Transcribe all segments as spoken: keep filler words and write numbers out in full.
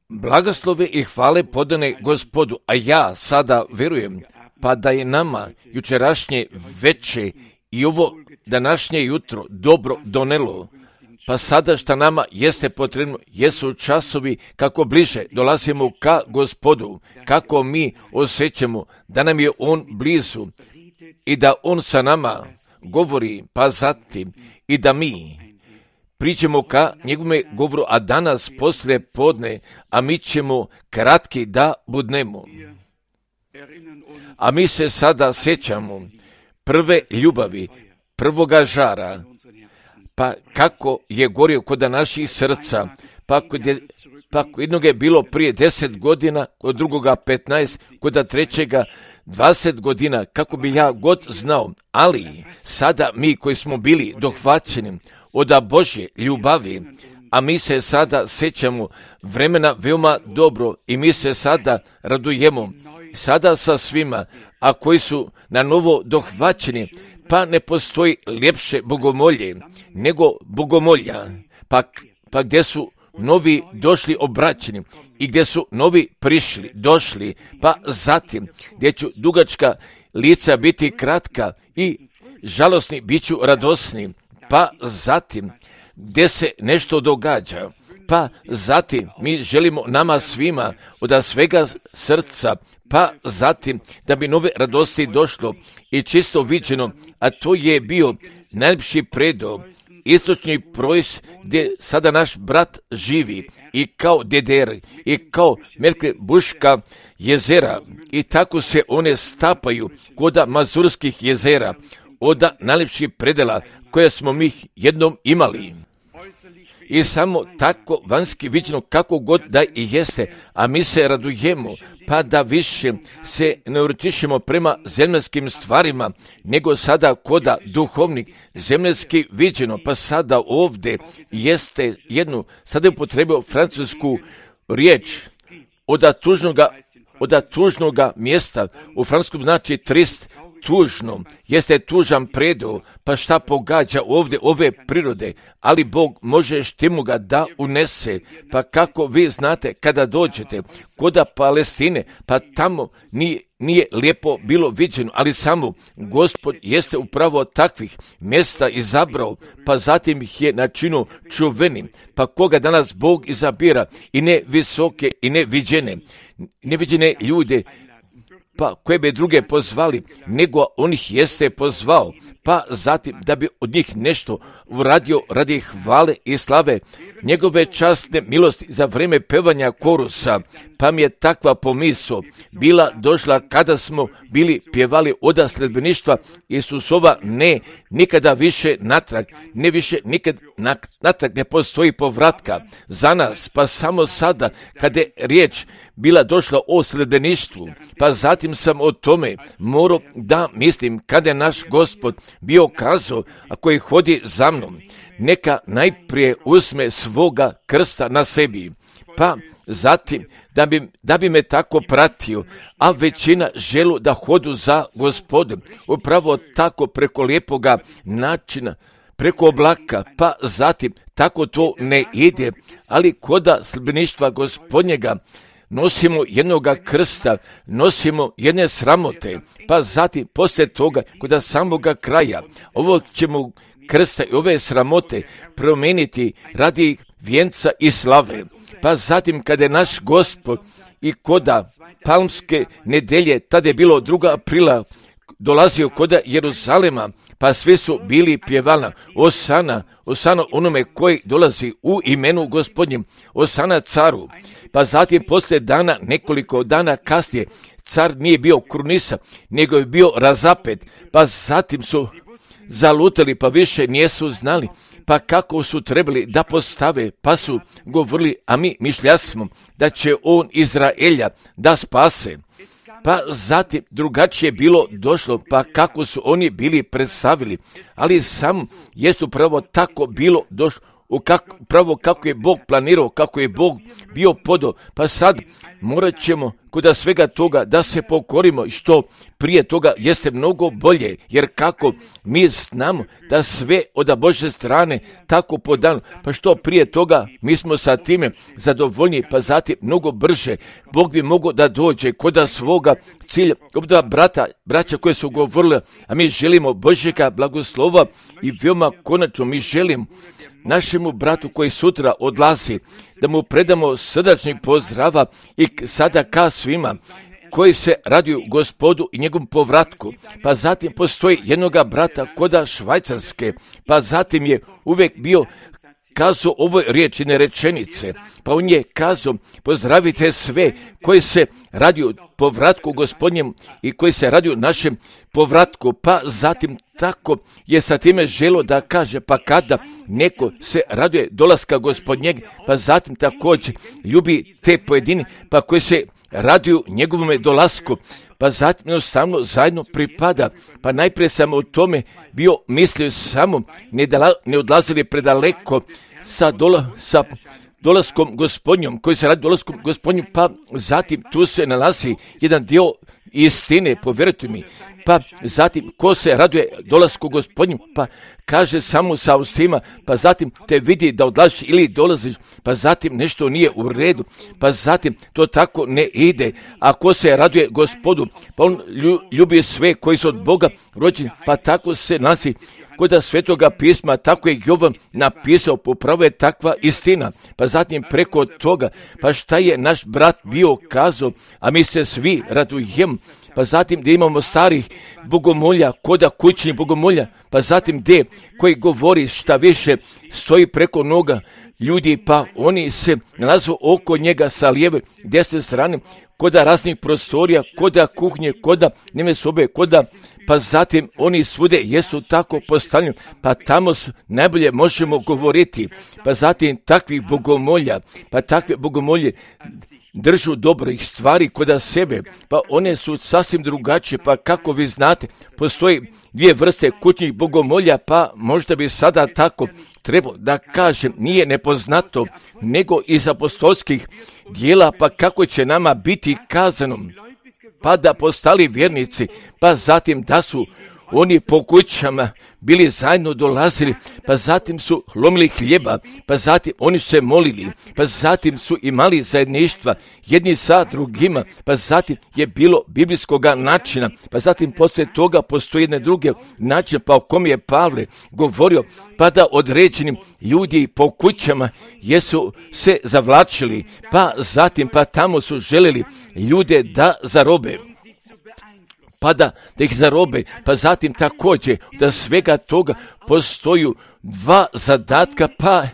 Blagoslove i hvale podane Gospodu, a ja sada verujem, pa da je nama jučerašnje veče i ovo današnje jutro dobro donelo, pa sada šta nama jeste potrebno, jesu časovi kako bliže dolazimo ka Gospodu, kako mi osjećamo da nam je On blizu i da On sa nama govori, pa zatim i da mi priđemo ka njegovome govoru, a danas poslije podne, a mi ćemo kratki da budnemo. A mi se sada sjećamo prve ljubavi, prvoga žara, pa kako je gorio kod naših srca, pa kod je, pa kod jednog je bilo prije deset godina, kod drugoga petnaest, kod trećega dvadeset godina, kako bi ja god znao, ali sada mi koji smo bili dohvaćeni od Božje ljubavi, a mi se sada sjećamo vremena veoma dobro i mi se sada radujemo, sada sa svima, a koji su na novo dohvaćeni, pa ne postoji ljepše bogomolje nego bogomolja, pa, pa gdje su novi došli obraćeni i gdje su novi prišli, došli, pa zatim gdje ću dugačka lica biti kratka i žalosni bit ću radosni, pa zatim gdje se nešto događa, pa zatim mi želimo nama svima od svega srca, pa zatim da bi nove radosti došlo i čisto viđeno, a to je bio najljepši predo, istočni projs gdje sada naš brat živi i kao Deder i kao Melke Buška jezera i tako se one stapaju kod Mazurskih jezera, od najljepših predela koje smo mi jednom imali. I samo tako vanjski viđeno kako god da i jeste, a mi se radujemo, pa da više se ne urtišemo prema zemljskim stvarima, nego sada koda duhovnik zemljski viđeno, pa sada ovdje jeste jednu, sada je upotrebio francusku riječ od tužnoga, od tužnoga mjesta, u francuskom znači trist, tužno, jeste tužan predo, pa šta pogađa ovdje ove prirode, ali Bog može štimu ga da unese, pa kako vi znate kada dođete koda Palestine, pa tamo nije, nije lijepo bilo viđeno, ali samo Gospod jeste upravo takvih mjesta izabrao, pa zatim ih je načinio čuvenim, pa koga danas Bog izabira i ne visoke i ne viđene, neviđene ljude, pa koje bi druge pozvali, nego on ih jeste pozvao, pa zatim da bi od njih nešto uradio radi hvale i slave, njegove časne milosti za vrijeme pevanja korusa, pa mi je takva pomisao bila došla kada smo bili pjevali oda sledbeništva Isusova, ne, nikada više natrag, ne više nikad natrag ne postoji povratka za nas, pa samo sada kada je riječ bila došla o sledbeništvu, pa zatim sam o tome morao da mislim kada je naš Gospod bio kazao, a koji hodi za mnom, neka najprije uzme svoga krsta na sebi, pa zatim da bi, da bi me tako pratio, a većina želu da hodu za Gospodom, upravo tako preko lijepoga načina, preko oblaka, pa zatim tako to ne ide, ali koda sledbeništva Gospodnjega nosimo jednoga krsta, nosimo jedne sramote, pa zatim poslije toga kod samoga kraja ovog ćemo krsta i ove sramote promijeniti radi vijenca i slave, pa zatim kada je naš Gospod i koda palmske nedelje, tada je bilo druga aprila, dolazio koda Jeruzalema, pa svi su bili pjevalna, Osana, Osana onome koji dolazi u imenu Gospodnjem, Osana caru, pa zatim poslije dana, nekoliko dana kasnije, car nije bio krunisan, nego je bio razapet, pa zatim su zalutali, pa više nisu znali, pa kako su trebali da postave, pa su govorili, a mi mišljasmo da će on Izraelja da spase. Pa zatim drugačije bilo došlo, pa kako su oni bili predstavili, ali sam jest upravo tako bilo došlo u kako, pravo kako je Bog planirao, kako je Bog bio podo. Pa sad morat ćemo kod svega toga da se pokorimo, što prije toga jeste mnogo bolje, jer kako mi znamo da sve od Božje strane tako podano, pa što prije toga mi smo sa time zadovoljni, pa zatim mnogo brže Bog bi mogao da dođe kod svoga cilja. Obda brata, braća koje su govorili, a mi želimo Božjega blagoslova i veoma konačno mi želimo našemu bratu koji sutra odlazi, da mu predamo srdačni pozdrava i sada ka svima koji se raduju Gospodu i njegovom povratku. Pa zatim postoji jednoga brata koda Švajcarske, pa zatim je uvijek bio kazao ovoj riječi rečenice, pa on je kazao, pozdravite sve koji se raduju povratku Gospodnjem i koji se raduju našem povratku, pa zatim tako je sa time želo da kaže, pa kada neko se raduje dolaska Gospodnjeg, pa zatim također ljubi te pojedini, pa koji se raduju njegovome dolasku, pa zatim jednostavno zajedno pripada. Pa najprije sam o tome bio mislio samo, ne, dala, ne odlazili predaleko sa, dola, sa dolaskom Gospodnjom, koji se radi dolaskom Gospodnjom, pa zatim tu se nalazi jedan dio istine, povjerujte mi, pa zatim ko se raduje dolasku Gospodnjom, pa kaže samo sa ustima, pa zatim te vidi da odlaziš ili dolaziš, pa zatim nešto nije u redu, pa zatim to tako ne ide. A ko se raduje Gospodu, pa on ljubi sve koji su od Boga rođeni, pa tako se nalazi kod Svetoga pisma, tako je Jovan napisao, popravo je takva istina. Pa zatim preko toga, pa šta je naš brat bio kazao, a mi se svi radujemo. Pa zatim da imamo starih bogomolja, koda kućnih bogomolja, pa zatim de koji govori šta više stoji preko noga ljudi, pa oni se nalazu oko njega sa lijeve desne strane, koda raznih prostorija, koda kuhnje, koda njeme sobe, koda, pa zatim oni svude jesu tako postavljeni, pa tamo najbolje možemo govoriti. Pa zatim takvih bogomolja, pa takve bogomolje držu dobrih stvari kod sebe, pa one su sasvim drugačije, pa kako vi znate, postoji dvije vrste kućnih bogomolja, pa možda bi sada tako trebao da kažem, nije nepoznato, nego iz apostolskih dijela, pa kako će nama biti kazano, pa da postali vjernici, pa zatim da su oni po kućama bili zajedno dolazili, pa zatim su lomili hljeba, pa zatim oni su se molili, pa zatim su imali zajedništva jedni sa drugima, pa zatim je bilo biblijskoga načina, pa zatim poslije toga postoji jedne druge načine, pa o kom je Pavle govorio, pa da određenim ljudi po kućama jesu se zavlačili, pa zatim pa tamo su želeli ljude da zarobe. Pa da, da ih zarobe, pa zatim također da svega toga postoju dva zadatka, pa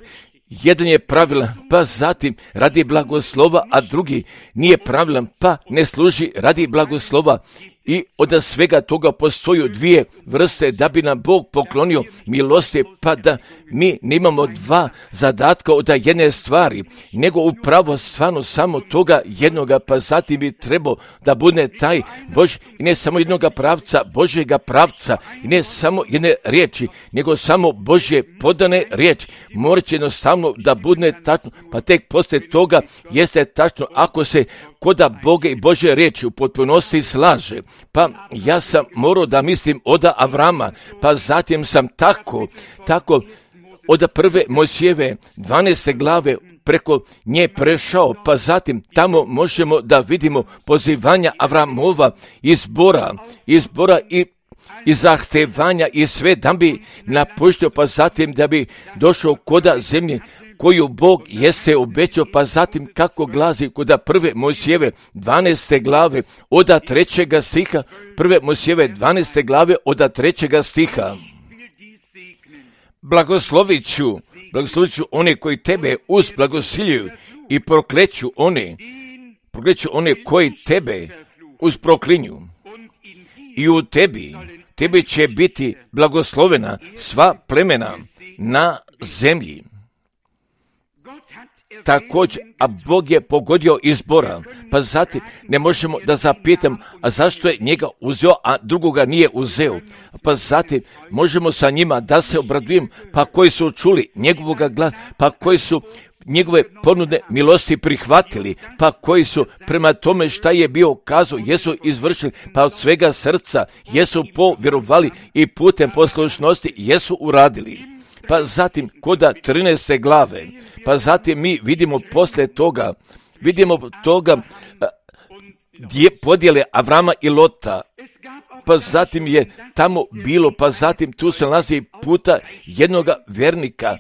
jedan je pravilan, pa zatim radi blagoslova, a drugi nije pravilan, pa ne služi radi blagoslova. I od svega toga postoju dvije vrste da bi nam Bog poklonio milosti, pa da mi nemamo dva zadatka od jedne stvari, nego upravo stvarno samo toga jednoga, pa zatim bi trebao da bude taj Bož, i ne samo jednoga pravca, Božjega pravca, i ne samo jedne riječi, nego samo Božje podane riječi. Morat će jednostavno da bude tačno, pa tek poslije toga jeste tačno ako se koda Boga i Božje riječi u potpunosti slaže. Pa ja sam morao da mislim od Avrama, pa zatim sam tako, tako od prve Mojsijeve dvanaeste glave preko nje prešao, pa zatim tamo možemo da vidimo pozivanja Avramova, izbora, izbora i i zahtevanja i sve da bi napuštio, pa zatim da bi došao koda zemlje koju Bog jeste obećao, pa zatim kako glazi koda prve Mojsijeve dvanaeste glave od trećega stiha, prve Mojsijeve dvanaeste glave od trećega stiha. Blagoslovit ću, blagoslovit ću one koji tebe uzblagosiljuju i prokleću one, prokleću one koji tebe uzproklinju. I u tebi, tebi će biti blagoslovena sva plemena na zemlji. također, a Bog je pogodio izbora. Pa zatim ne možemo da zapitam, a zašto je njega uzeo, a drugoga nije uzeo. Pa zatim možemo sa njima da se obradujem, pa koji su čuli njegovoga glasa, pa koji su njegove ponude milosti prihvatili, pa koji su prema tome šta je bio kazao, jesu izvršili, pa od svega srca jesu povjerovali i putem poslušnosti jesu uradili. Pa zatim koda trinaeste glave, pa zatim mi vidimo posle toga, vidimo toga gdje podjele Avrama i Lota, pa zatim je tamo bilo, pa zatim tu se nalazi puta jednoga vernika,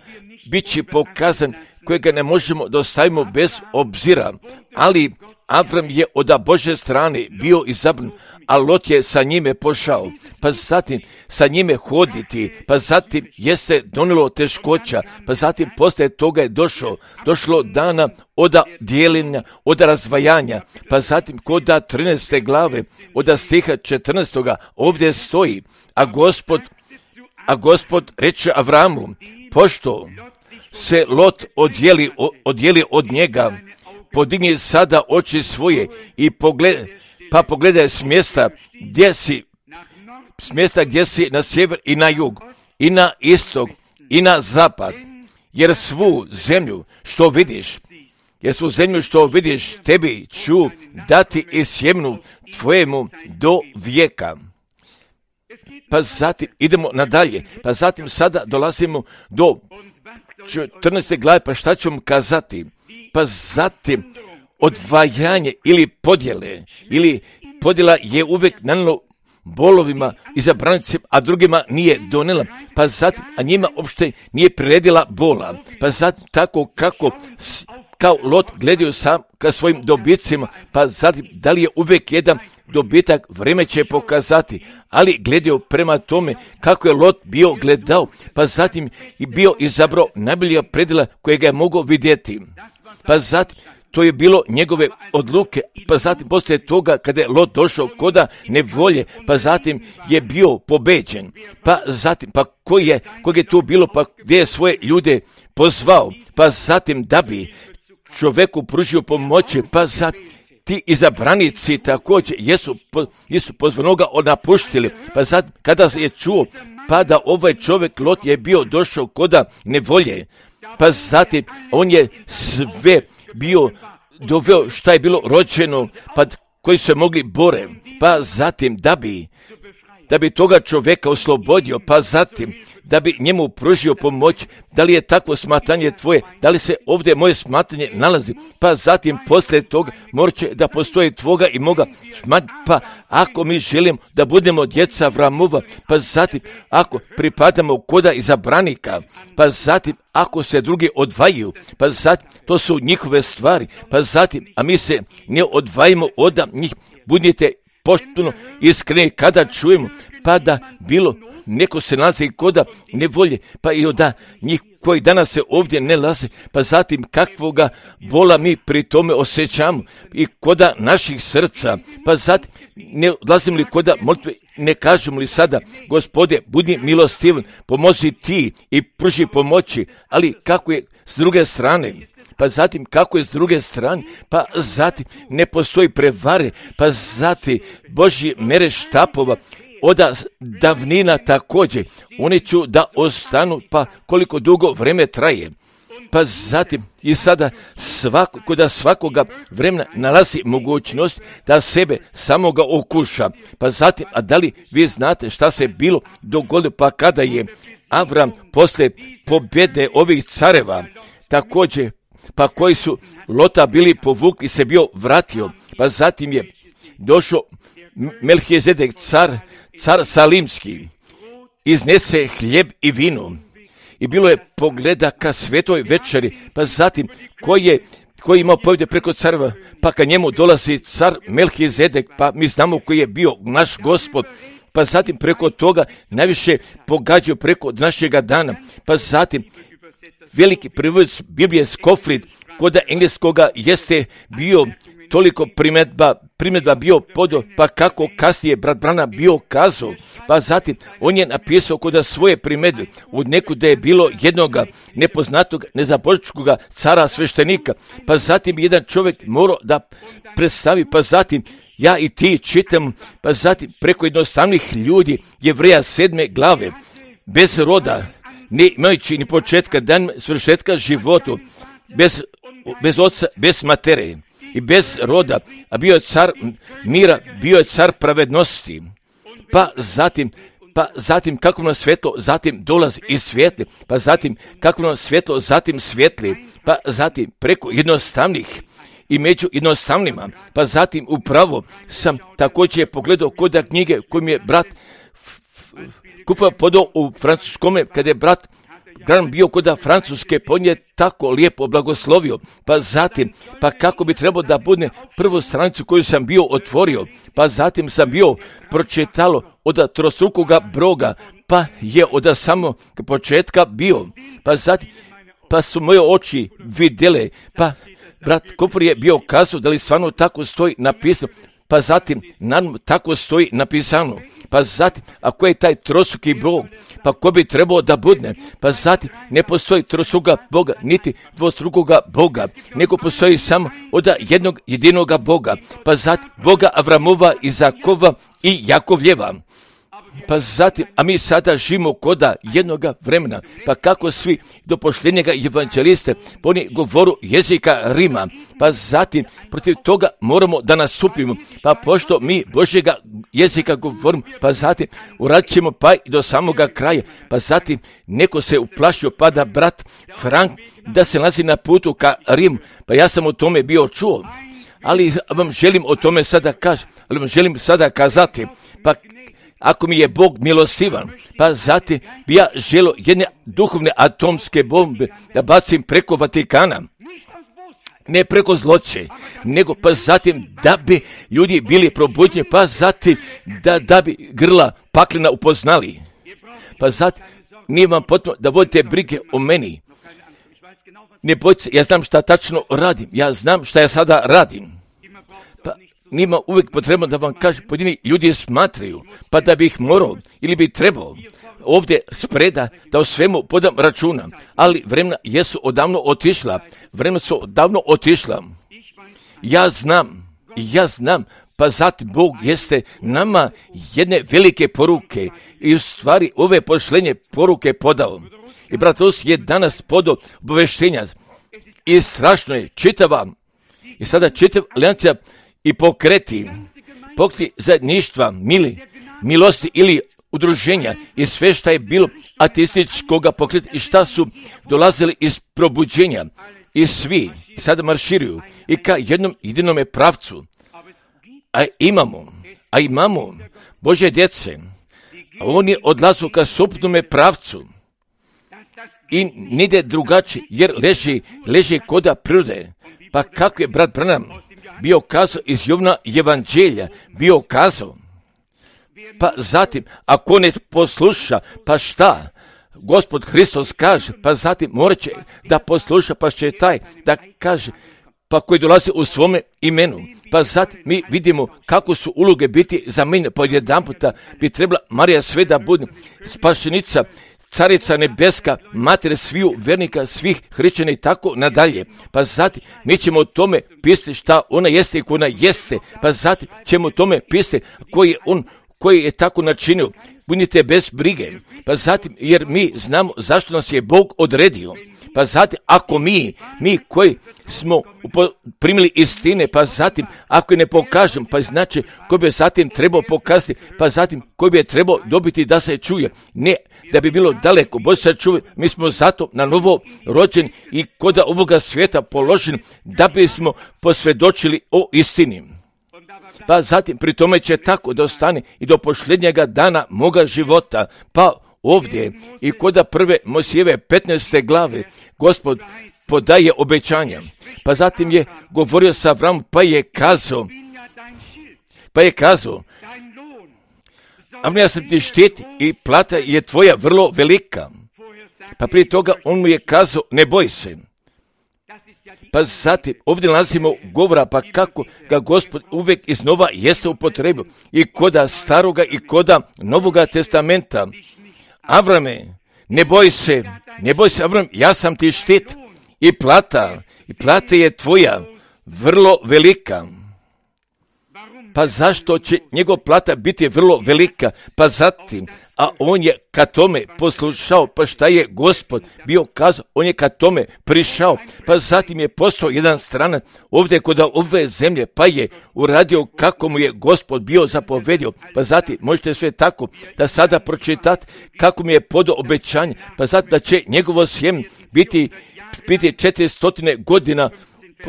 bit će pokazan kojega ne možemo da ostavimo bez obzira, ali Avram je od Božje strane bio izabran, a Lot je sa njime pošao, pa zatim sa njime hoditi, pa zatim je se donilo teškoća, pa zatim posle toga je došlo, došlo dana od dijeljenja, od razvajanja, pa zatim koda trinaeste glave, od stiha četrnaestoga ovdje stoji, a Gospod, a Gospod reče Avramu, pošto se Lot odjeli, odjeli od njega, podigni sada oči svoje i pogledaj, pa pogledaj s mjesta gdje si, s mjesta gdje si na sjever i na jug, i na istok, i na zapad, jer svu zemlju što vidiš, jer svu zemlju što vidiš tebi ću dati i sjemnu tvojemu do vijeka. Pa zatim idemo nadalje, pa zatim sada dolazimo do četrnaeste glave, pa šta ću vam kazati? Pa zatim odvajanje ili podjele, ili podjela je uvijek nanijelo bolovima i zabranicima, a drugima nije donela, pa zatim, a njima uopšte nije priredila bola, pa zatim tako kako kao Lot gledaju sam ka svojim dobicima, pa zatim da li je uvijek jedan dobitak, vrijeme će pokazati, ali gledaju prema tome kako je Lot bio gledao, pa zatim i bio izabrao najbolja predjela kojega je mogao vidjeti, pa zatim to je bilo njegove odluke, pa zatim poslije toga kada je Lot došao koda nevolje, pa zatim je bio pobeđen, pa zatim, pa koji je, kog je tu bilo, pa gdje je svoje ljude pozvao, pa zatim da bi čovjeku pružio pomoći, pa zatim ti izabranici također jesu, jesu pozvanoga napuštili, pa zatim kada je čuo, pa da ovaj čovjek Lot je bio došao koda nevolje, pa zatim on je sve bio doveo šta je bilo rođeno, pa koji su se mogli bore, pa zatim da bi, da bi toga čovjeka oslobodio, pa zatim da bi njemu pružio pomoć. Da li je takvo smatranje tvoje, da li se ovdje moje smatranje nalazi, pa zatim poslije toga morat će da postoji tvoga i moga smatranja, pa ako mi želimo da budemo djeca Avramova, pa zatim ako pripadamo koda izabranika, pa zatim ako se drugi odvajaju, pa zatim to su njihove stvari, pa zatim, a mi se ne odvajimo od njih, budite potpuno iskreni kada čujemo, pa da bilo neko se nalazi koda nevolje, pa i da njih koji danas se ovdje ne nalaze, pa zatim kakvoga bola mi pri tome osjećamo i koda naših srca, pa zatim ne odlazimo li koda molitve, ne kažemo li sada, Gospode, budi milostivan, pomozi ti i pruži pomoći, ali kako je s druge strane, pa zatim kako je s druge strane, pa zatim ne postoji prevare, pa zatim Božji mere štapova, oda davnina također, oni ću da ostanu, pa koliko dugo vreme traje. Pa zatim i sada svako, kod svakoga vremena nalazi mogućnost da sebe samoga okuša. Pa zatim, a da li vi znate šta se bilo dogodilo, pa kada je Avram posle pobjede ovih careva, također, pa koji su Lota bili povukli, se bio vratio, pa zatim je došao Melhizedek, car, car Salimski, iznese hljeb i vino i bilo je pogleda ka svetoj večeri, pa zatim koji je koji imao povjede preko careva, pa ka njemu dolazi car Melhizedek, pa mi znamo koji je bio naš Gospod, pa zatim preko toga najviše pogađaju preko našega dana, pa zatim veliki prevođač Biblije Skofrid, kod engleskoga jeste bio toliko primjedba, primjedba bio podo, pa kako kasnije brat Branham bio kazao, pa zatim on je napisao kod svoje primjedbe, u neku da je bilo jednoga nepoznatog, nezabočkog cara sveštenika, pa zatim jedan čovjek morao da predstavi, pa zatim ja i ti čitam, pa zatim preko jednostavnih ljudi, Jevreja sedme glave, bez roda, ne imajući ni početka dan svršetka životu, bez, bez oca, bez matere i bez roda, a bio je car mira, bio je car pravednosti. Pa zatim, pa zatim kako nam svjetlo, zatim dolazi iz svijetli, pa zatim kako nam svjetlo, zatim svijetli, pa zatim preko jednostavnih i među jednostavnima, pa zatim upravo sam također pogledao kod knjige koju mi je brat Kufa podao u francuskome, kada je brat Gran bio kod Francuske, pa on je tako lijepo blagoslovio, pa zatim, pa kako bi trebao da bude prvu stranicu koju sam bio otvorio, pa zatim sam bio pročitalo od trostrukoga broga, pa je od samog početka bio, pa zatim, pa su moje oči vidjele, pa brat Kufor je bio kazao da li stvarno tako stoji napisano, pa zatim nam tako stoji napisano, pa zatim ako je taj trostruki Bog, pa ko bi trebao da budne, pa zatim ne postoji trostruka Boga, niti dvostrukoga Boga, nego postoji samo od jednog jedinoga Boga, pa zatim Boga Avramova, Izakova i Jakovljeva. Pa zatim, a mi sada živimo koda jednoga vremena, pa kako svi do pošljenjega evanđeliste, oni govoru jezika Rima, pa zatim protiv toga moramo da nastupimo, pa pošto mi Božjega jezika govorimo, pa zatim uradit ćemo pa i do samoga kraja, pa zatim neko se uplašio, pa da brat Frank da se nalazi na putu ka Rimu, pa ja sam o tome bio čuo, ali vam želim o tome sada kažem, ali vam želim sada kazati, pa ako mi je Bog milostivan, pa zatim bi ja želio jedne duhovne atomske bombe da bacim preko Vatikana, ne preko zloće, nego pa zatim da bi ljudi bili probuđeni, pa zatim da, da bi grla paklena upoznali. Pa zatim nije vam potrebno da vodite brige o meni. Ne bojte, ja znam šta tačno radim, ja znam šta ja sada radim. Nima uvijek potrebno da vam kaže, pojedini ljudi smatraju, pa da bi ih morao ili bi trebao ovdje spreda da o svemu podam računa, ali vremena jesu odavno otišla, vremena su odavno otišla. Ja znam, ja znam, pa zatim Bog jeste nama jedne velike poruke i u stvari ove pošlenje poruke podao. I bratos je danas podao obaveštenja i strašno je čitava i sada čitav alijancija i pokreti, pokreti zajedništva, mili, milosti ili udruženja i sve šta je bilo ateističkoga pokreta i šta su dolazili iz probuđenja i svi sada marširuju i ka jednom jedinome pravcu. A imamo, a imamo Božje djece, a on je odlazio ka suprotnome pravcu i nide drugačije jer leži, leži koda prirode. Pa kako je brat Branham bio kazao iz Jovna evanđelja, bio kazao, pa zatim, ako ne posluša, pa šta? Gospod Hristos kaže, pa zatim morat će da posluša, pa će taj da kaže, pa koji dolazi u svome imenu. Pa zatim mi vidimo kako su uloge biti zamijenjene, pa jedan puta bi trebala Marija sve da bude spašenica, carica nebeska, mater sviju vernika, svih hrišćana i tako nadalje. Pa zatim mi ćemo o tome pisati šta ona jeste i ko ona jeste. Pa zatim ćemo o tome pisati koji je on, koji je tako načinio. Budite bez brige. Pa zatim, jer mi znamo zašto nas je Bog odredio. Pa zatim, ako mi, mi koji smo primili istine, pa zatim, ako je ne pokažem, pa znači koji bi zatim trebao pokazati, pa zatim koji bi je trebao dobiti da se čuje. Ne, da bi bilo daleko, Bože se čuje, mi smo zato na novo rođeni i kod ovoga svijeta položeni da bismo posvjedočili o istini. Pa zatim, pri tome će tako da ostane i do posljednjega dana moga života, pa ovdje i kod prve Mojsijeve petnaeste glave Gospod podaje obećanja. Pa zatim je govorio sa Avramom, pa je kazao, pa je kazao, a ja sam ti štit i plata je tvoja vrlo velika. Pa prije toga on mu je kazao, ne boj se. Pa zatim ovdje nalazimo govora, pa kako ga Gospod uvijek iznova jeste upotrebio i koda staroga i koda novoga testamenta. Avrame, ne boj se, ne boj se Avram, ja sam ti štit i plata, i plata je tvoja, vrlo velika. Pa zašto će njegov plata biti vrlo velika? Pa zatim, a on je ka tome poslušao, pa šta je Gospod bio kazao, on je ka tome prišao, pa zatim je postao jedan stranac ovdje kod ove zemlje, pa je uradio kako mu je Gospod bio zapovedio, pa zatim možete sve tako da sada pročitati kako mi je podao obećanje, pa zatim da će njegovo sjeme biti, biti četiristo godina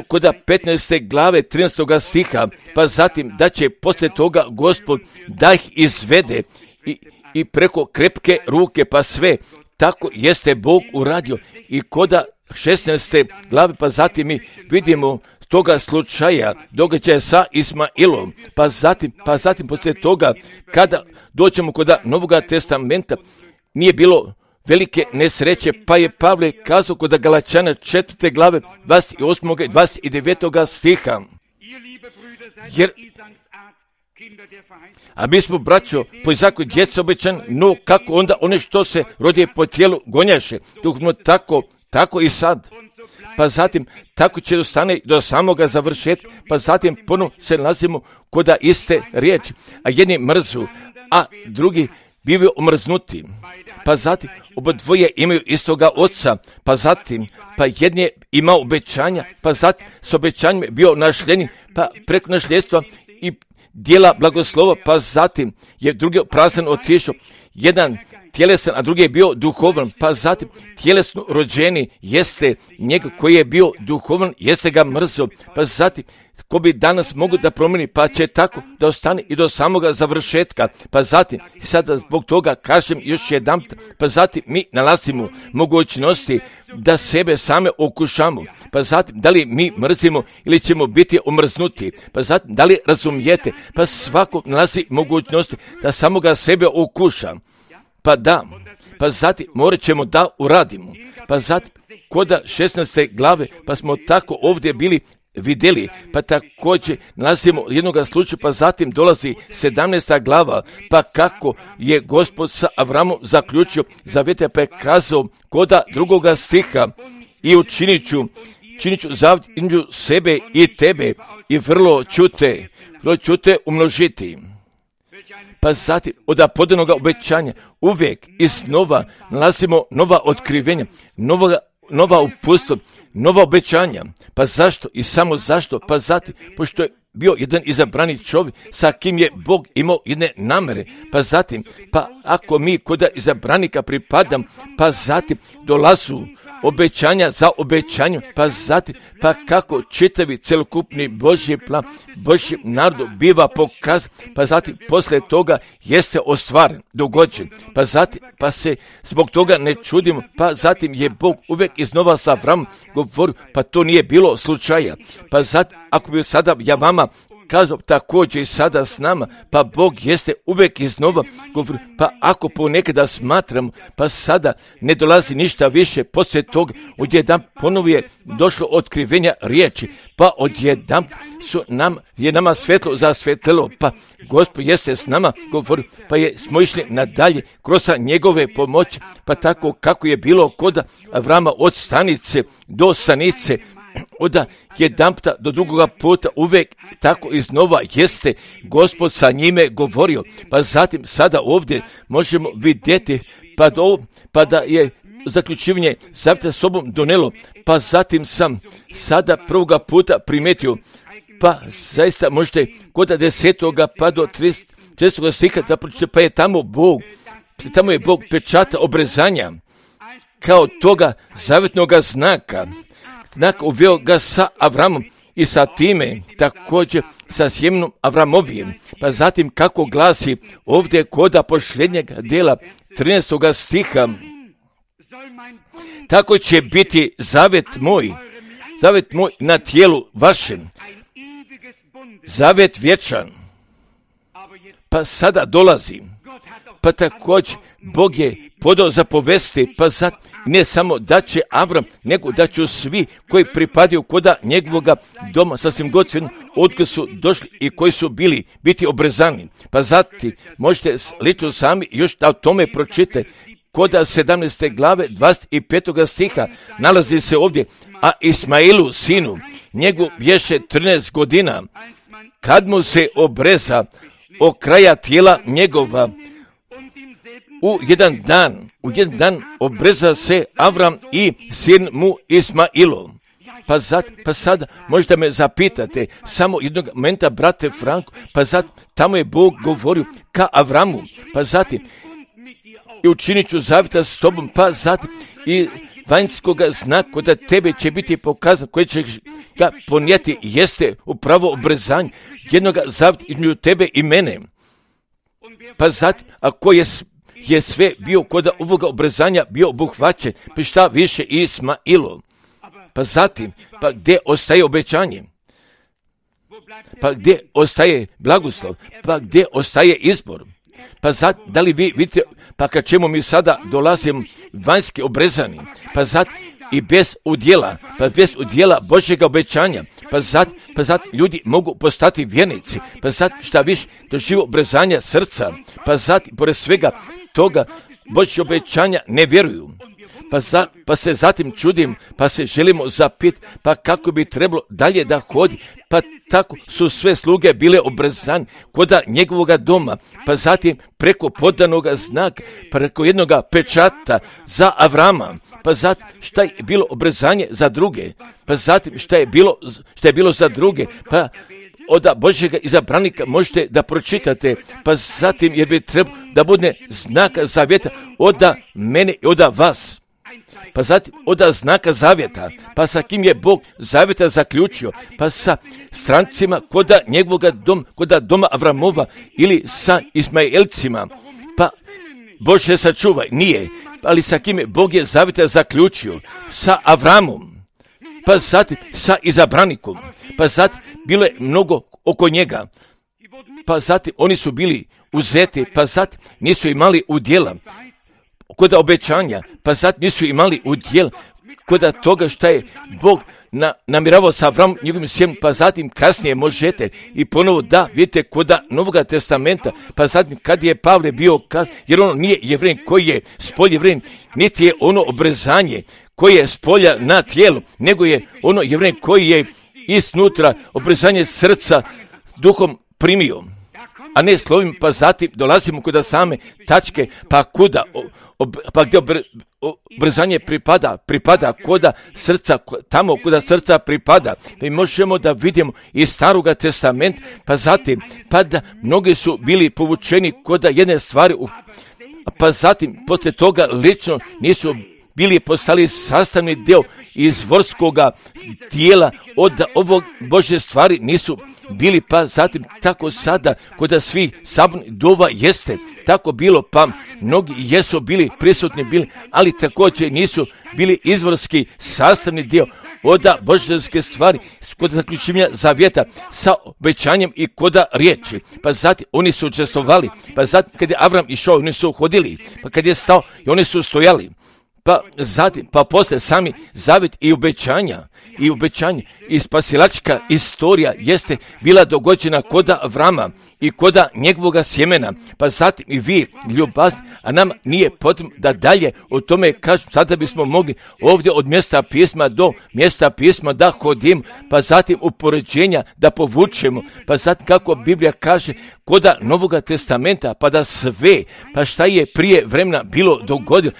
kod petnaeste glave trinaestog stiha, pa zatim da će poslije toga Gospod da ih izvede i, i preko krepke ruke, pa sve tako jeste Bog uradio. I kod šesnaeste glave, pa zatim mi vidimo toga slučaja, događaja sa Ismailom, pa zatim, pa zatim poslije toga kada dođemo kod Novoga testamenta, nije bilo velike nesreće, pa je Pavle kazao kod Galačana četvrte glave dvadeset osmog i dvadeset devetog stiha. Jer, a mi smo, braćo, po Izaku djeca obećan, no kako onda one što se rodije po tijelu gonjaše, dok smo tako, tako i sad. Pa zatim, tako će dostane do samoga završetka, pa zatim ponovno se nalazimo kod iste riječi, a jedni mrzu, a drugi bivaju omrznuti. Pa zatim, obadvoje imaju istoga oca, pa zatim, pa jedni je imao obećanja, pa zatim s obećanjem bio našljenjen, pa preko našljedstva i dijela blagoslova, pa zatim je drugi prazan otišao, jedan tjelesan, a drugi je bio duhovan, pa zatim tjelesno rođeni jeste njega koji je bio duhovan, jeste ga mrzo, pa zatim ko bi danas mogu da promijeni, pa će tako da ostane i do samoga završetka, pa zatim, sada zbog toga kažem još jedan, pa zatim mi nalazimo mogućnosti da sebe same okušamo, pa zatim da li mi mrzimo ili ćemo biti omrznuti, pa zatim da li razumijete, pa svako nalazi mogućnosti da samoga sebe okuša, pa da, pa zatim morat ćemo da uradimo, pa zatim koda šesnaeste glave, pa smo tako ovdje bili vidjeli, pa također nalazimo jednoga slučaja, pa zatim dolazi sedamnaesta glava, pa kako je Gospod sa Avramom zaključio zavete, pa je kazao koda drugoga stiha i učinit ću, činit ću zavjet između sebe i tebe i vrlo ću te, vrlo ću te umnožiti. Pa zatim od podanoga obećanja uvijek iznova nalazimo nova otkrivenja, nova, nova uputstva, nova obećanja. Pa zašto i samo zašto? Pa zatim, pošto je bio jedan izabrani čovjek sa kim je Bog imao jedne namere. Pa zatim, pa ako mi kod izabranika pripadam, pa zatim dolazu obećanja za obećanju, pa zatim, pa kako čitavi celokupni Božji plan, Božji narod biva pokazan, pa zatim poslije toga jeste ostvaren, dogođen, pa zatim, pa se zbog toga ne čudimo, pa zatim je Bog uvijek iznova sa Avramom govorio, pa to nije bilo slučaja, pa zatim, ako bi sada ja vama kazao također i sada s nama, pa Bog jeste uvijek iznova govori, pa ako ponekada smatram, pa sada ne dolazi ništa više, poslije toga odjedan ponovo je došlo otkrivenja riječi, pa odjedan su nam, je nama svetlo zasvetlilo, pa Gospod jeste s nama govori, pa je smo išli nadalje kroz njegove pomoći, pa tako kako je bilo kod Avrama od stanice do stanice, od jedanputa do drugoga puta uvijek tako iznova jeste Gospod sa njime govorio, pa zatim sada ovdje možemo vidjeti pa, do, pa da je zaključivanje zavjeta sobom donelo, pa zatim sam sada prvoga puta primetio, pa zaista možete kod desetoga pa do tridesetog stiha, pa je tamo Bog, tamo je Bog pečata obrezanja kao toga zavjetnoga znaka, znak uveo ga sa Avramom i sa time također sa sjemenom Avramovijem. Pa zatim kako glasi ovdje koda posljednjeg dela trinaestog stiha, tako će biti zavet moj, zavet moj na tijelu vašem, zavet vječan. Pa sada dolazi, pa također Bog je podao zapovesti, pa zat, ne samo da će Avram, nego da će svi koji pripadaju koda njegovoga doma, sasvim godinu, odkud su došli i koji su bili biti obrezani. Pa zatim možete lično sami još da o tome pročite. Koda sedamnaeste glave dvadeset petog stiha nalazi se ovdje, a Ismailu sinu, njegov bješe trinaest godina, kad mu se obreza o kraja tijela njegova, u jedan dan, u jedan dan obreza se Avram i sin mu Ismailov. Pa, zat, pa sada možete me zapitate, samo jednog momenta, brate Franko, pa zat, tamo je Bog govorio ka Avramu, pa zatim i učinit ću zavjeta s tobom, pa zatim i vanjskoga znaka da tebe će biti pokazan, koji će ga ponijeti, jeste upravo obrezanje jednog zavjeta između tebe i mene. Pa zatim, ako je, je sve bio kod ovoga obrezanja bio obuhvaćen, pa šta više Ismailov. Pa zatim, pa gdje ostaje obećanje? Pa gdje ostaje blagoslov? Pa gdje ostaje izbor? Pa zat, da li vi vidite, pa kad čemu mi sada dolazimo vanjski obrezani, pa zat i bez udjela, pa bez udjela Božjega obećanja, pa zat, pa zat ljudi mogu postati vjernici, pa zat šta više doživu obrezanja srca, pa zat pored svega toga Božje obećanja ne vjeruju. Pa, za, pa se zatim čudim, pa se želimo zapit, pa kako bi trebalo dalje da hodi, pa tako su sve sluge bile obrezane koda njegovoga doma, pa zatim preko podanoga znaka, preko jednoga pečata za Avrama, pa zatim šta je bilo obrezanje za druge, pa zatim šta je bilo, šta je bilo za druge, pa od Božjega izabranika možete da pročitate, pa zatim jer bi trebalo da bude znaka zavjeta od mene i od vas. Pa zatim od znaka zavjeta, pa sa kim je Bog zavjeta zaključio, pa sa strancima koda njegovoga doma, koda doma Avramova ili sa Ismailcima, pa Bože sačuvaj, nije, ali sa kim je Bog je zavjeta zaključio, sa Avramom, pa zatim sa izabranikom, pa zatim bilo je mnogo oko njega, pa zatim oni su bili uzeti, pa zatim nisu imali udjela kod obećanja, pa zatim nisu imali udjel kod toga šta je Bog na, namiravao sa Avramom njegovim sjemenom, pa zatim kasnije možete i ponovo da vidite kod Novoga testamenta, pa zatim kad je Pavle bio, kad, jer ono nije Jevrein koji je spolje Jevrein, niti je ono obrezanje koje je spolja na tijelu, nego je ono Jevrein koji je iznutra obrezanje srca duhom primio, a ne slovim, pa zatim dolazimo kod same tačke, pa kuda, ob, pa gdje obr, obrezanje pripada, pripada koda srca, tamo kuda srca pripada. Mi možemo da vidimo iz Staroga testamenta, pa zatim, pa da mnogi su bili povučeni koda jedne stvari, pa zatim, poslije toga lično nisu bili postali sastavni dio izvorskoga tijela od ovog Božje stvari nisu bili, pa zatim tako sada kod svih sabornih dova jeste tako bilo, pa mnogi jesu bili prisutni bili, ali također nisu bili izvorski sastavni dio od božanske stvari kod zaključivanja zavjeta sa obećanjem i koda riječi. Pa zatim oni su učestvovali, pa zatim kad je Avram išao oni su hodili, pa kad je stao i oni su stojali. Pa zatim, pa posle sami zavjet i obećanja, i obećanje, i spasilačka istorija jeste bila dogođena koda Avrama i koda njegovoga sjemena, pa zatim i vi ljubazni, a nam nije potrebno da dalje o tome kažem, sada bismo mogli ovdje od mjesta pisma do mjesta pisma da hodim, pa zatim upoređenja da povučemo, pa zatim kako Biblija kaže koda Novoga testamenta, pa da sve, pa šta je prije vremena bilo dogodilo,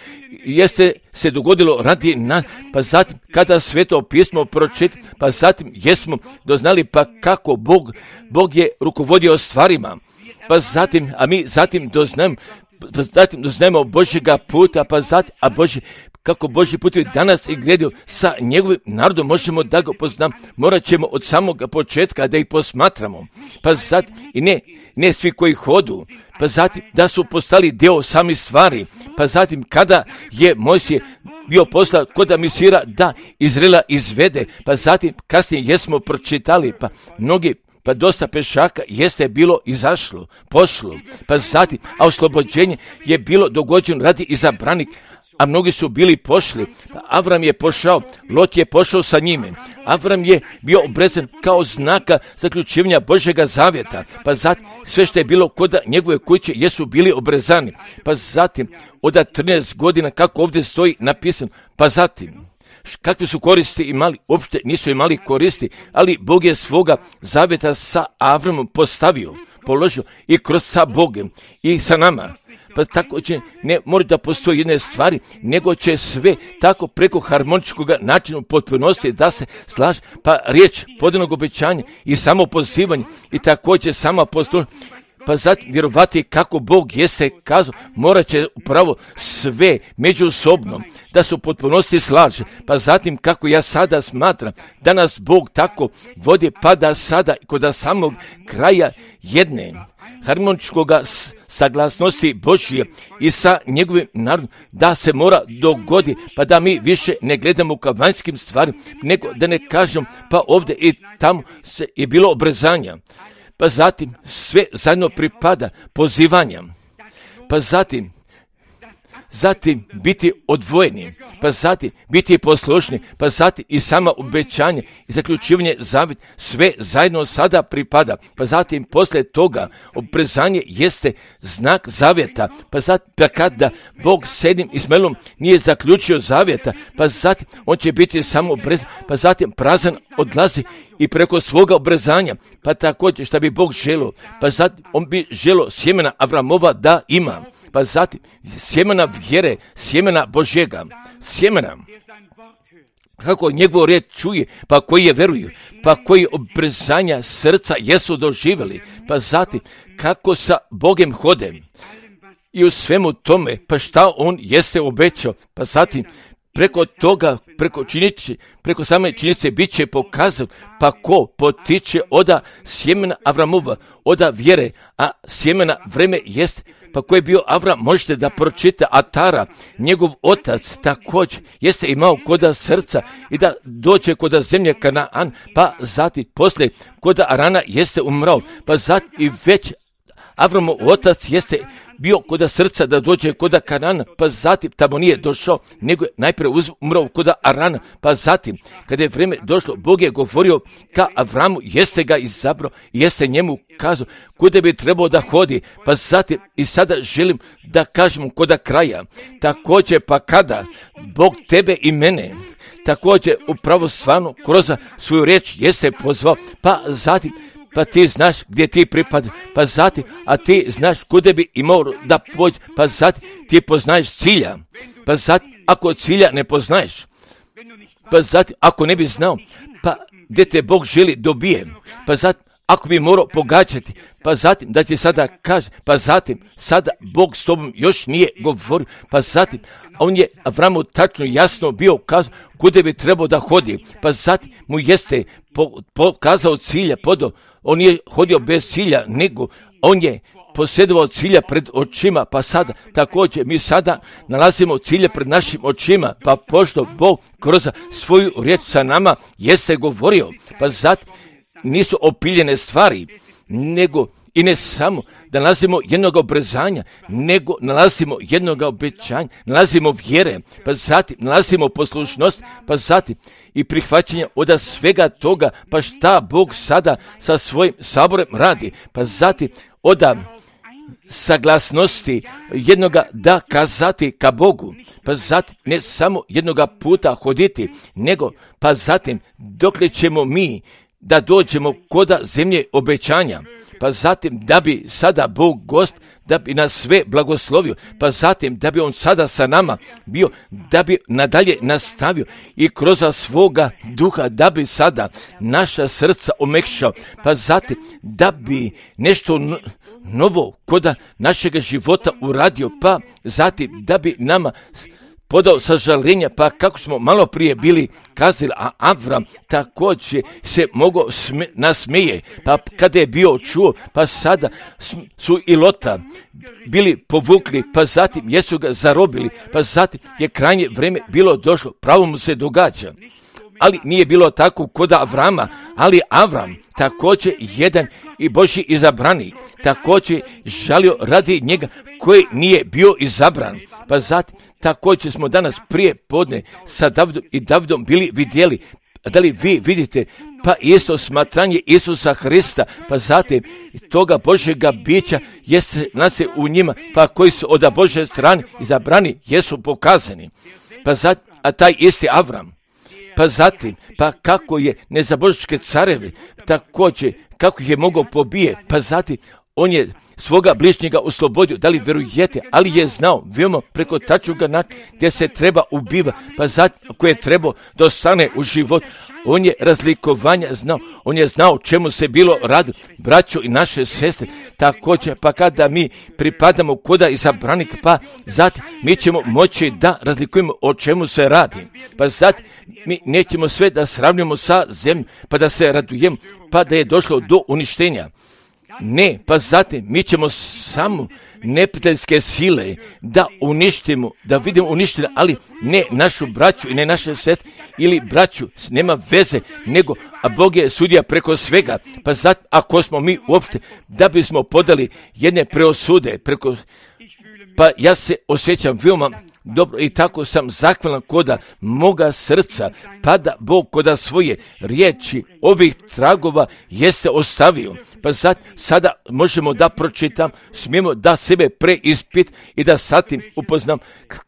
jeste se dogodilo radi nas, pa zatim kada Sveto pismo pročita, pa zatim jesmo doznali pa kako Bog, Bog je rukovodio stvarima, pa zatim, a mi zatim doznamo, pa zatim doznajemo Božjega puta, pa zatim, a Božji, kako Božji putevi danas i gledaju sa njegovim narodom, možemo da ga poznamo, morat ćemo od samog početka da ih posmatramo, pa zatim, i ne, ne svi koji hodu, pa zatim da su postali dio sami stvari, pa zatim kada je Mojsije bio poslan kod misira da Izraela izvede, pa zatim kasnije jesmo pročitali, pa mnogi pa dosta pešaka jeste bilo izašlo, pošlo, pa zatim, a oslobođenje je bilo dogođeno radi izabranih, a mnogi su bili pošli. Pa Avram je pošao, Lot je pošao sa njime. Avram je bio obrezan kao znaka zaključivanja Božjega zavjeta. Pa zatim sve što je bilo kod njegove kuće jesu bili obrezani. Pa zatim od trinaest godina kako ovdje stoji napisano. Pa zatim kakve su koristi imali? Uopšte nisu imali koristi, ali Bog je svoga zavjeta sa Avramom postavio, položio i kroz sa Bogom i sa nama. Pa tako će, ne mora da postoji jedne stvari, nego će sve tako preko harmoničkog načina u potpunosti da se slaže, pa riječ podijelnog obećanja i samo pozivanje i također sama postoji. Pa zatim vjerovati kako Bog jeste kazao, morat će upravo sve međusobno da se u potpunosti slaže. Pa zatim kako ja sada smatram da nas Bog tako vodi, pa da sada kod samog kraja jedne harmoničkog saglasnosti Božje i sa njegovim narodom da se mora dogodi, pa da mi više ne gledamo ka vanjskim stvarima, nego da ne kažem pa ovdje i tamo se je bilo obrezanja. Pa zatim sve zajedno pripada pozivanja. Pa zatim, zatim biti odvojeni, pa zatim biti poslušni, pa zatim i sama obećanje i zaključivanje zavjet, sve zajedno sada pripada. Pa zatim poslije toga obrezanje jeste znak zavjeta, pa zatim pa kada Bog s jednim Ismaelom nije zaključio zavjeta, pa zatim on će biti samo obrezan, pa zatim prazan odlazi i preko svoga obrezanja, pa također šta bi Bog želio, pa zatim on bi želio sjemena Avramova da ima. Pa zatim sjemena vjere, sjemena Božjega, sjemena kako njegovu riječ čuje, pa koji je veruju, pa koji obrezanja srca jesu doživjeli, pa zatim kako sa Bogem hode i u svemu tome, pa šta on jeste obećao, pa zatim preko toga, preko činjeće, preko same činjenice bit će pokazano, pa ko potiče oda sjemena Avramova, oda vjere, a sjemena vreme jest, pa ko je bio Avram, možete da pročita Atara, njegov otac također jeste imao koda srca i da dođe koda zemlje Kanaan, pa zatim poslije koda Arana jeste umrao, pa zatim i već Avramov otac jeste bio koda srca da dođe koda Kanana, pa zatim tamo nije došao, nego je najprije umrao koda Arana, pa zatim kada je vrijeme došlo, Bog je govorio ka Avramu, jeste ga izabrao, jeste njemu kazao kuda bi trebao da hodi, pa zatim i sada želim da kažem koda kraja, također pa kada Bog tebe i mene također upravo stvarno kroz svoju riječ jeste pozvao, pa zatim pa ti znaš gdje ti pripadaš, pa zatim, a ti znaš kuda bi imao da pođe, pa zatim ti poznaješ cilja, pa zatim ako cilja ne poznaješ, pa zatim ako ne bi znao, pa gdje te Bog želi dobije, pa zatim ako bi morao pogađati, pa zatim da ti sada kaže, pa zatim sada Bog s tobom još nije govorio, pa zatim on je Avramu tačno jasno bio kazao kuda bi trebao da hodi, pa zatim mu jeste pokazao cilja, podao, on je hodio bez cilja, nego on je posjedovao cilja pred očima, pa sada također mi sada nalazimo cilje pred našim očima, pa pošto Bog kroz svoju riječ sa nama jeste govorio, pa zatim nisu opiljene stvari, nego i ne samo da nalazimo jednog obrezanja, nego nalazimo jednog obećanja, nalazimo vjere, pa zatim nalazimo poslušnost, pa zatim i prihvaćanje od svega toga, pa šta Bog sada sa svojim saborem radi, pa zatim od saglasnosti jednoga da kazati ka Bogu, pa zatim ne samo jednoga puta hoditi, nego pa zatim dokle ćemo mi da dođemo koda zemlje obećanja, pa zatim da bi sada Bog Gospod, da bi nas sve blagoslovio, pa zatim da bi on sada sa nama bio, da bi nadalje nastavio i kroz svoga duha, da bi sada naša srca omekšao, pa zatim da bi nešto novo koda našega života uradio, pa zatim da bi nama podao sažaljenja, pa kako smo malo prije bili kazali, a Avram također se mogao sme, nasmeje, pa kada je bio čuo, pa sada su i Lota bili povukli, pa zatim jesu ga zarobili, pa zatim je krajnje vrijeme bilo došlo, pravo mu se događa. ali nije bilo tako kod Avrama, ali Avram također jedan i Božji izabranik, također žalio radi njega koji nije bio izabran. Pa zatim također smo danas prije podne sa Davidom i Davidom bili vidjeli, da li vi vidite, pa isto smatranje Isusa Hrista, pa zatim toga Božjega bića jeste nas je u njima, pa koji su od Božje strane izabrani jesu pokazani. Pa zatim, a taj isti Avram, pa zatim, pa kako je nezabožničke carevi, također kako ih je mogao pobije, pa zatim on je svoga bližnjega oslobodio, da li vjerujete, ali je znao, vidimo preko tačnoga načina gdje se treba ubiva, pa zatim ako je trebao da ostane u život, on je razlikovanja znao, on je znao čemu se bilo radi, braćo i naše sestre, također, pa kada mi pripadamo koda izabranika, pa zatim mi ćemo moći da razlikujemo o čemu se radi, pa zatim mi nećemo sve da sravnimo sa zemljom, pa da se radujemo, pa da je došlo do uništenja. Ne, pa zatim mi ćemo samo neprijateljske sile da uništimo, da vidimo uništene, ali ne našu braću i ne naše sestre ili braću, nema veze, nego a Bog je sudija preko svega. Pa zatim ako smo mi uopšte da bismo podali jedne preosude preko, pa ja se osjećam veoma dobro i tako sam zahvalan koda moga srca, pa da Bog koda svoje riječi ovih tragova jeste ostavio. Pa sad, sada možemo da pročitam, smijemo da sebe preispit i da satim upoznam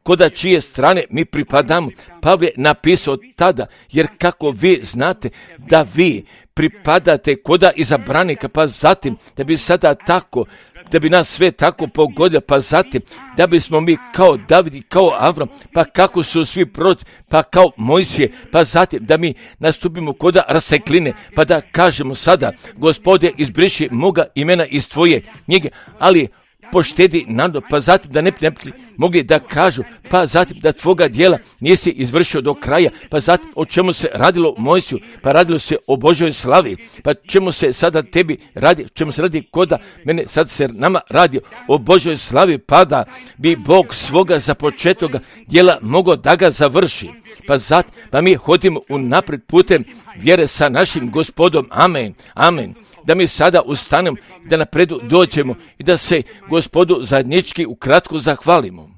koda čije strane mi pripadamo. Pavle napisao tada, jer kako vi znate da vi pripadate koda izabranika, pa zatim da bi sada tako, da bi nas sve tako pogodio, pa zatim da bismo mi kao David i kao Avram, pa kako su svi proroci, pa kao Mojsije, pa zatim da mi nastupimo koda rasekline, pa da kažemo sada, Gospode, izbriši moga imena iz tvoje knjige, ali poštedi narod, pa zatim da ne bi mogli da kažu, pa zatim da tvoga djela nisi izvršio do kraja, pa zatim o čemu se radilo Mojsiju, pa radilo se o Božoj slavi, pa čemu se sada tebi radi, čemu se radi koda mene, sad se nama radi o Božoj slavi, pa da bi Bog svoga započetoga djela mogao da ga završi. Pa zatim, pa mi hodimo unaprijed putem vjere sa našim Gospodom, amen, amen. Da mi sada ustanemo, da napredu dođemo i da se Gospodu zajednički ukratko zahvalimo.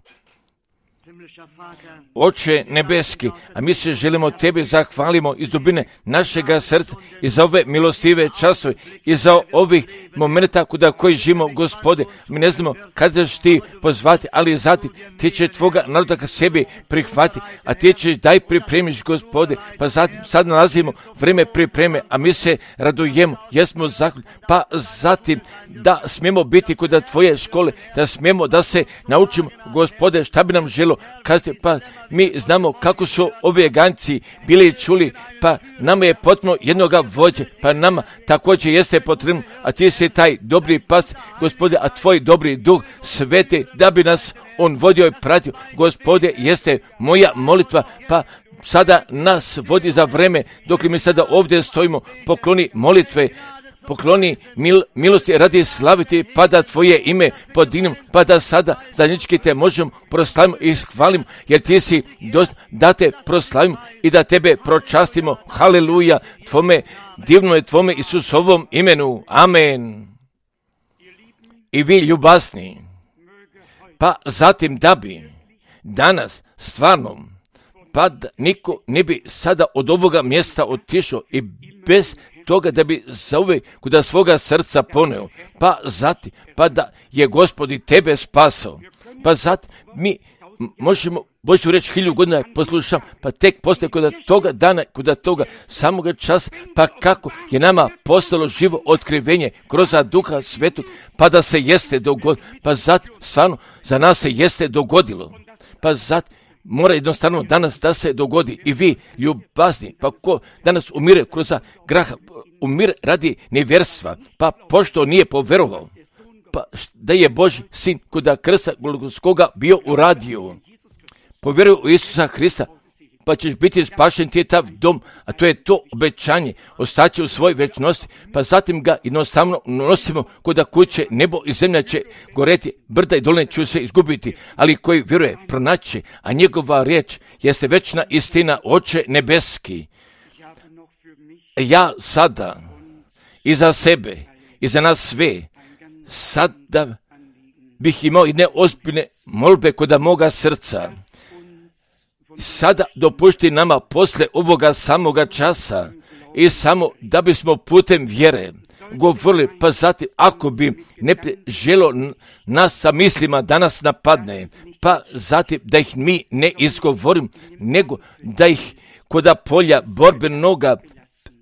Oče nebeski, a mi se želimo tebi zahvalimo iz dubine našega srca i za ove milostive časove i za ovih momenta kuda koji živimo, Gospode. Mi ne znamo kada ćeš ti pozvati, ali zatim ti će tvoga naroda ka sebi prihvati, a ti ćeš daj pripremiš, Gospode. Pa zatim sad nalazimo vreme pripreme, a mi se radujemo, jesmo zahvalni, pa zatim da smijemo biti kod tvoje škole, da smijemo da se naučimo, Gospode, šta bi nam želo kazati, pa mi znamo kako su ovi Eganci bili čuli, pa nama je potrebno jednoga vođe, pa nama također jeste potrebno, a ti si taj dobri pas, Gospode, a tvoj dobri duh sveti, da bi nas on vodio i pratio, Gospode, jeste moja molitva, pa sada nas vodi za vreme, dok mi sada ovdje stojimo, pokloni molitve, pokloni mil, milosti radi slaviti, pa da tvoje ime podignem, pa da sada zajednički te možemo proslavimo i hvalimo, jer ti si dost da te proslavimo i da tebe pročastimo. Haleluja, tvome, divno je tvome Isusovom imenu. Amen. I vi ljubasni, pa zatim da bi danas stvarno, pa da niko ne bi sada od ovoga mjesta otišao i bez toga da bi zauvijek kuda svoga srca poneo, pa zatim, pa da je Gospod i tebe spasao, pa zatim mi možemo Božju reći hilju godina poslušam, pa tek poslije kod toga dana, kod toga samoga časa, pa kako je nama postalo živo otkrivenje kroz Duha Svetog, pa da se jeste dogodilo, pa zatim stvarno za nas se jeste dogodilo, pa zatim mora jednostavno danas da se dogodi i vi ljubazni, pa ko danas umire kroz graha, umire radi nevjerstva, pa pošto nije poverovao, pa da je Božji sin kuda krsta Golgotskoga bio uradio, povjeruj u Isusa Hrista, pa ćeš biti spašen, ti je tav dom, a to je to obećanje, ostaće u svoj večnosti, pa zatim ga jednostavno nosimo kuda kuće, nebo i zemlja će goreti, brda i doline će se izgubiti, ali koji vjeruje pronaći, a njegova riječ jeste večna istina, Oče nebeski. ja sada i za sebe i za nas sve sada bih imao jedne ozbiljne molbe kod moga srca. Sada dopušti nama posle ovoga samoga časa i samo da bismo putem vjere govorili, pa zatim ako bi ne želo nas sa mislima da nas napadne, pa zatim da ih mi ne izgovorim, nego da ih koda polja borbenoga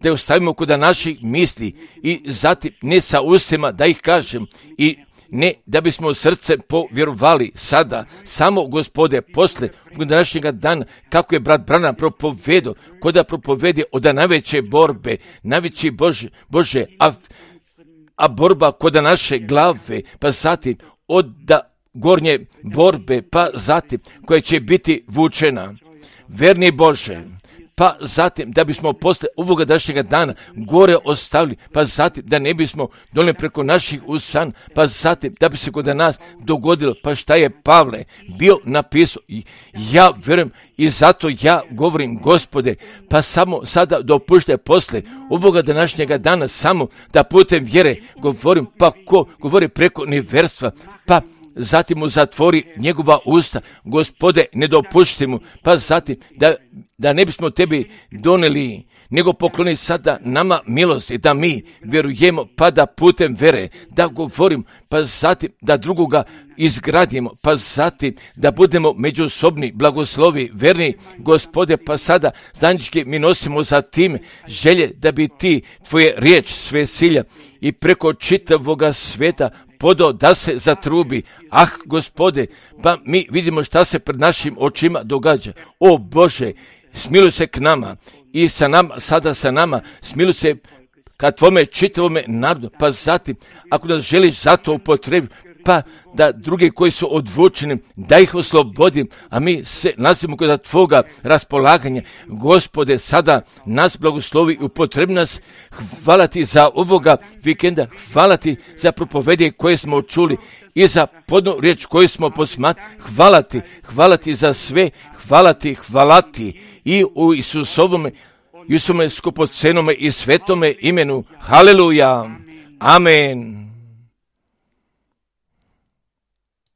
da ostavimo koda naših misli i zatim ne sa ustima da ih kažem i ne da bismo srce povjerovali sada, samo Gospode, posle današnjega dana, kako je brat Branham propovedo, koda propovedi od najveće borbe, najveći Bože, Bože a, a borba koda naše glave, pa zatim od da gornje borbe, pa zatim koja će biti vučena. Verni Bože, pa zatim da bismo posle ovoga današnjega dana gore ostavili, pa zatim da ne bismo donijeli preko naših usan, pa zatim da bi se kod nas dogodilo, pa šta je Pavle bio napisao. Ja verujem i zato ja govorim, Gospode, pa samo sada dopuštaj posle ovoga današnjega dana samo da putem vjere govorim, pa ko govori preko neverstva, pa zatim mu zatvori njegova usta, Gospode, ne dopušti mu, pa zatim da, da ne bismo tebi doneli, nego pokloni sada nama milost i da mi vjerujemo, pa da putem vere, da govorim, pa zatim da drugoga izgradimo, pa zatim da budemo međusobni blagoslovi, verni, Gospode, pa sada zajednički mi nosimo za tim želje da bi ti tvoje riječ sve silja i preko čitavoga sveta podao da se zatrubi. Ah, Gospode, pa mi vidimo šta se pred našim očima događa. O Bože, smiluj se k nama i sa nama, sada sa nama, smiluj se ka tvome čitavome narodu, pa zatim, ako nas želiš za to upotrebiti, pa da drugi koji su odvučeni, da ih oslobodim, a mi se nalazimo kod tvoga raspolaganja. Gospode, sada nas blagoslovi i upotrebi nas. Hvala ti za ovoga vikenda, hvala ti za propovedje koje smo čuli i za podnu riječ koju smo posmatrali. Hvala ti, hvala ti za sve, hvala ti, hvala ti i u Isusovome, Isusovome skupocenome i svetome imenu. Haleluja, amen.